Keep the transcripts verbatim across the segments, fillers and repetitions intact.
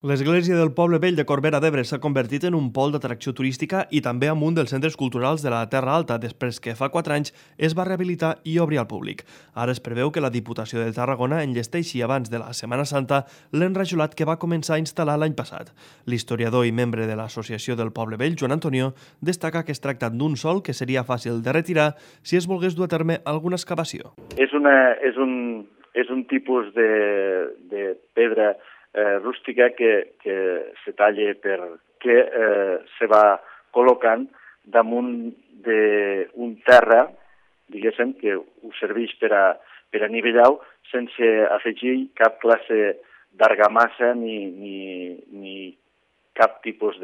L'església del Poble Vell de Corbera d'Ebre s'ha convertit en un pol d'atracció turística i també en un dels centres culturals de la Terra Alta després que fa quatre anys es va rehabilitar i obrir al públic. Ara es preveu que la Diputació de Tarragona enllesteixi abans de la Setmana Santa l'enrajolat que va començar a instal·lar l'any passat. L'historiador i membre de l'Associació del Poble Vell, Joan Antonio, destaca que es tracta d'un sòl que seria fàcil de retirar si es volgués dur a terme alguna excavació. És, una, és, un, és un tipus de, de pedra Eh, rústica que, que se talla per que eh, se va col·locant damunt d'un terra, diguéssim, que ho serveix per a, per a nivellar sense afegir cap classe d'argamassa ni, ni, ni cap tipus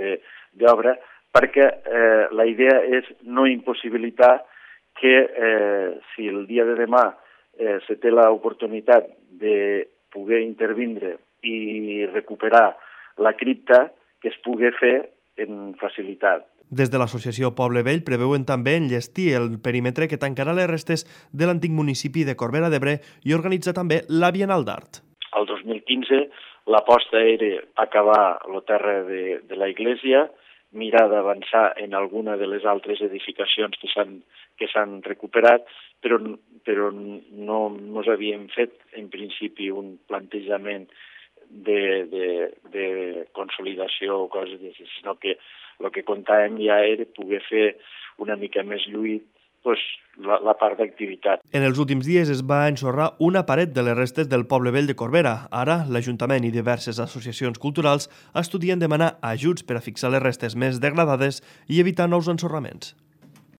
d'obra, perquè eh, la idea és no impossibilitar que eh, si el dia de demà eh, se té l'oportunitat de poder intervindre i recuperar la cripta, que es pugui fer en facilitat. Des de l'associació Poble Vell preveuen també enllestir el perímetre que tancarà les restes de l'antic municipi de Corbera d'Ebre i organitzar també la Bienal d'Art. El dos mil quinze l'aposta era acabar la terra de, de la iglesia, mirar d'avançar en alguna de les altres edificacions que s'han que s'han recuperat, però, però no ens havíem fet en principi un plantejament De, de, de consolidació o coses d'aquestes, sinó que el que comptàvem ja era poder fer una mica més lluït pues, la, la part d'activitat. En els últims dies es va ensorrar una paret de les restes del Poble Vell de Corbera. Ara, l'Ajuntament i diverses associacions culturals estudien demanar ajuts per a fixar les restes més degradades i evitar nous ensorraments.